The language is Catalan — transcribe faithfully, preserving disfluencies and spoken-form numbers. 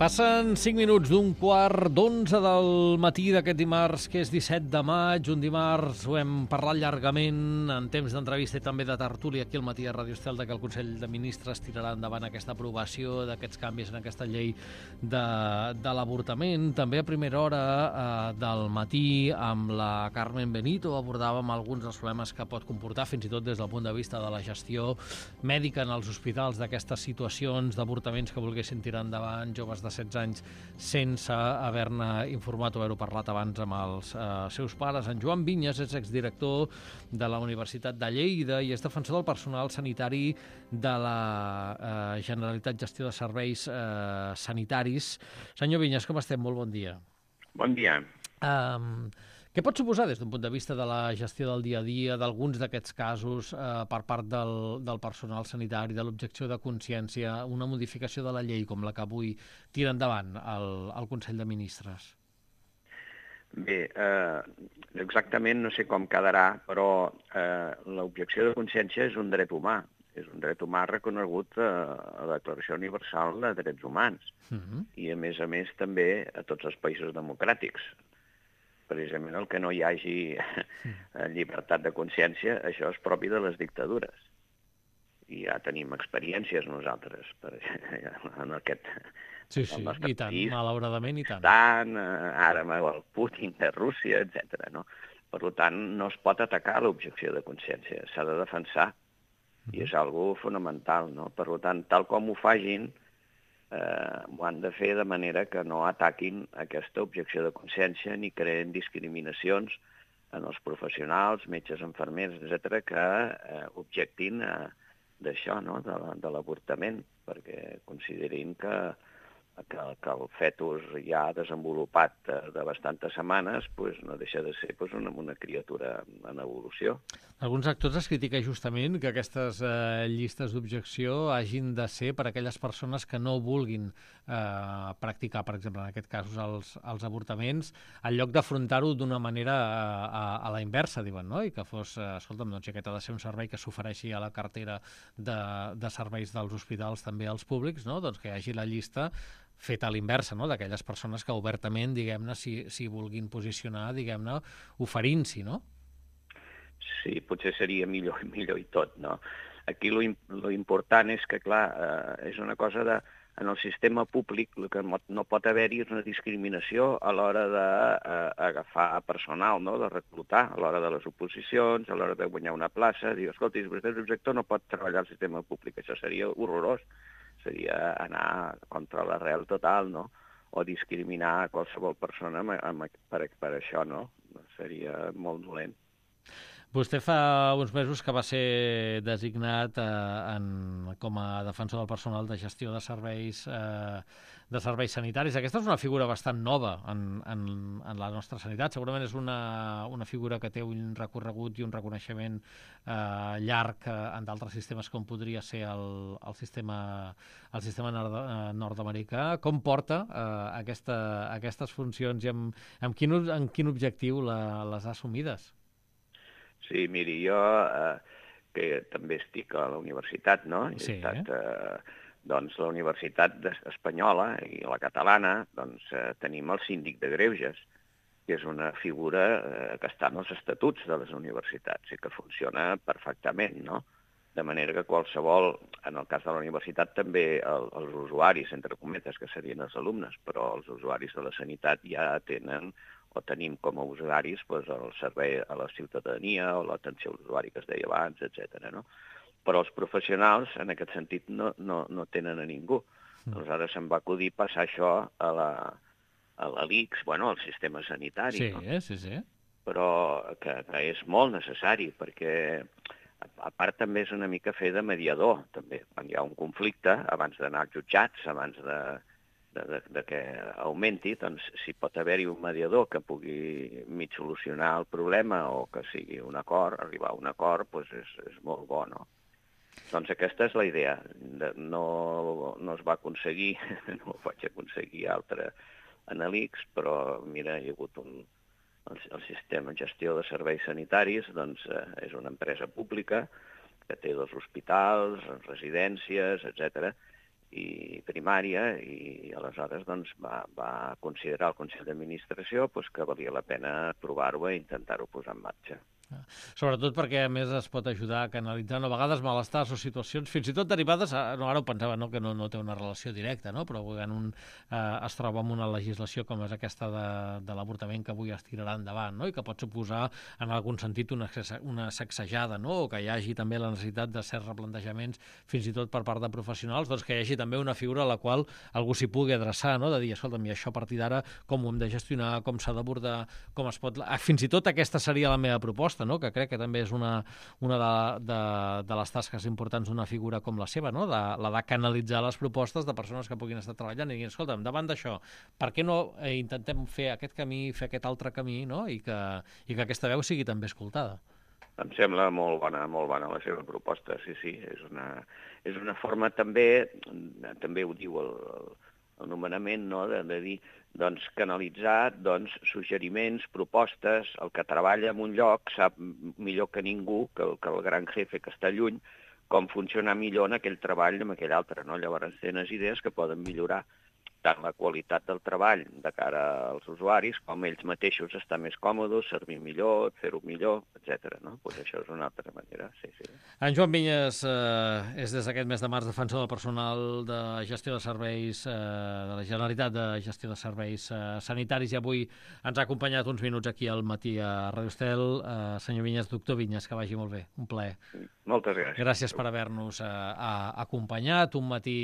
Passen cinc minuts d'un quart d'onze del matí d'aquest dimarts, que és disset de maig, un dimarts ho hem parlat llargament en temps d'entrevista i també de tertúlia aquí al matí a Ràdio Estel, que el Consell de Ministres tirarà endavant aquesta aprovació d'aquests canvis en aquesta llei de, de l'avortament. També a primera hora eh, del matí amb la Carmen Benito abordàvem alguns dels problemes que pot comportar, fins i tot des del punt de vista de la gestió mèdica en els hospitals, d'aquestes situacions d'avortaments que volguessin tirar endavant joves de setze anys sense haver-ne informat o haver-ho parlat abans amb els eh, seus pares. En Joan Vinyes és exdirector de la Universitat de Lleida i és defensor del personal sanitari de la eh, Generalitat Gestió de Serveis eh, Sanitaris. Senyor Vinyes, com estem? Molt bon dia. Bon dia. Um, què pot suposar des d'un punt de vista de la gestió del dia a dia, d'alguns d'aquests casos eh, per part del, del personal sanitari, de l'objecció de consciència, una modificació de la llei com la que avui tira endavant el, el Consell de Ministres? Bé, eh, exactament no sé com quedarà, però eh, l'objecció de consciència és un dret humà. És un dret humà reconegut a la Declaració Universal de Drets Humans. Uh-huh. I, a més a més, també a tots els països democràtics. Precisament el que no hi hagi llibertat de consciència, això és propi de les dictadures. I ja tenim experiències nosaltres per, en aquest... Sí, sí, i tant, país, malauradament, i tant. Tant, ara amb el Putin de Rússia, etcètera. No? Per tant, no es pot atacar l'objecció de consciència, s'ha de defensar, uh-huh. i és algo fonamental. No? Per tant, tal com ho fagin, eh, ho han de fer de manera que no ataquin aquesta objecció de consciència ni creen discriminacions en els professionals, metges, infermers, etcètera, que eh, objectin eh, d'això, no? de, de l'avortament, perquè considerin que que, que el fetus ja desenvolupat de, de bastantes setmanes pues, no deixa de ser pues, una, una criatura en evolució. Alguns actors es critica justament que aquestes eh, llistes d'objecció hagin de ser per a aquelles persones que no vulguin eh, practicar, per exemple, en aquest cas, els, els avortaments, en lloc d'afrontar-ho d'una manera a, a, a la inversa, diuen, no? I que fos, eh, escolta'm, doncs aquest ha de ser un servei que s'ofereixi a la cartera de, de serveis dels hospitals també als públics, no? Doncs que hi hagi la llista feta a l'inversa, no? D'aquelles persones que obertament, diguem-ne, si, si vulguin posicionar, diguem-ne, oferint-s'hi, no? Sí, potser seria millor, millor i tot, no? Aquí lo, lo important és que, clar, eh, és una cosa de... En el sistema públic el que no pot haver-hi és una discriminació a l'hora d'agafar eh, personal, no? De reclutar, a l'hora de les oposicions, a l'hora de guanyar una plaça. Diu, escolta, si vostè és objector no pot treballar al sistema públic. Això seria horrorós. Seria anar contra l'arrel total, no? O discriminar qualsevol persona amb, amb, per, per això, no? Seria molt dolent. Vostè fa uns mesos que va ser designat eh, en, com a defensor del personal de gestió de serveis, eh, de serveis sanitaris. Aquesta és una figura bastant nova en, en, en la nostra sanitat. Segurament és una, una figura que té un recorregut i un reconeixement eh, llarg en d'altres sistemes com podria ser el, el sistema, el sistema nord, eh, nord-americà. Com porta eh, aquesta, aquestes funcions i amb, amb, quin, amb quin objectiu la, les ha assumides? Sí, miri, jo, eh, que també estic a la universitat, no? He sí. estat, eh, doncs, la universitat espanyola i la catalana, doncs, eh, tenim el síndic de greuges, que és una figura eh, que està en els estatuts de les universitats i que funciona perfectament, no? De manera que qualsevol, en el cas de la universitat també el, els usuaris, entre cometes, que serien els alumnes, però els usuaris de la sanitat ja tenen o tenim com a usuaris doncs, el servei a la ciutadania o l'atenció a l'usuari que es deia abans, etcètera. No? Però els professionals, en aquest sentit, no, no, no tenen a ningú. Mm. Aleshores se'm va acudir passar això a la, a la l'I C S, bueno, al sistema sanitari. Sí, no? sí, sí. Però que, que és molt necessari, perquè a, a part també és una mica fer de mediador, també. Quan hi ha un conflicte, abans d'anar als jutjats, abans de... De, de, de que augmenti, doncs si pot haver-hi un mediador que pugui mig solucionar el problema o que sigui un acord, arribar a un acord, doncs és, és molt bo, no? Doncs aquesta és la idea. De, no, no es va aconseguir, no ho vaig aconseguir altre en l'I C S, però mira, hi ha hagut un... El, el sistema de gestió de serveis sanitaris, doncs eh, és una empresa pública que té dos hospitals, residències, etcètera, i primària, i aleshores doncs, va, va considerar el Consell d'Administració doncs, que valia la pena provar-ho i intentar-ho posar en marxa. Sobretot perquè, a més, es pot ajudar a canalitzar no, a vegades malestars o situacions, fins i tot derivades, no, ara ho pensava, no, que no, no té una relació directa, no, però quan un eh, es troba amb una legislació com és aquesta de, de l'avortament que avui es tirarà endavant, no, i que pot suposar en algun sentit una, una sacsejada, no, o que hi hagi també la necessitat de certs replantejaments, fins i tot per part de professionals, doncs que hi hagi també una figura a la qual algú s'hi pugui adreçar, no, de dir, escolta'm, i això a partir d'ara com ho hem de gestionar, com s'ha d'abordar, com es pot... Fins i tot aquesta seria la meva proposta, no? Que crec que també és una, una de, de, de les tasques importants d'una figura com la seva, no? de, la de canalitzar les propostes de persones que puguin estar treballant i dir, escolta'm, davant d'això, per què no eh, intentem fer aquest camí, fer aquest altre camí, no? I, que, i que aquesta veu sigui també escoltada? Em sembla molt bona, molt bona la seva proposta, sí, sí, és una, és una forma també, també ho diu el, el, el nomenament, no? de, de dir, doncs, canalitzar doncs, suggeriments, propostes, el que treballa en un lloc sap millor que ningú, que el, que el gran jefe que està lluny, com funcionar millor en aquell treball amb aquell altre, no? Llavors tenen idees que poden millorar tant la qualitat del treball de cara als usuaris, com ells mateixos estar més còmodes, servir millor, fer-ho millor, etcètera. No? Pues això és una altra manera, sí, sí. En Joan Vinyes eh, és des d'aquest mes de març defensor del personal de gestió de serveis eh, de la Generalitat de Gestió de Serveis eh, Sanitaris i avui ens ha acompanyat uns minuts aquí al matí a Radio Estel. Eh, senyor Vinyes, doctor Vinyes, que vagi molt bé. Un plaer. Moltes gràcies. Gràcies per haver-nos eh, acompanyat. Un matí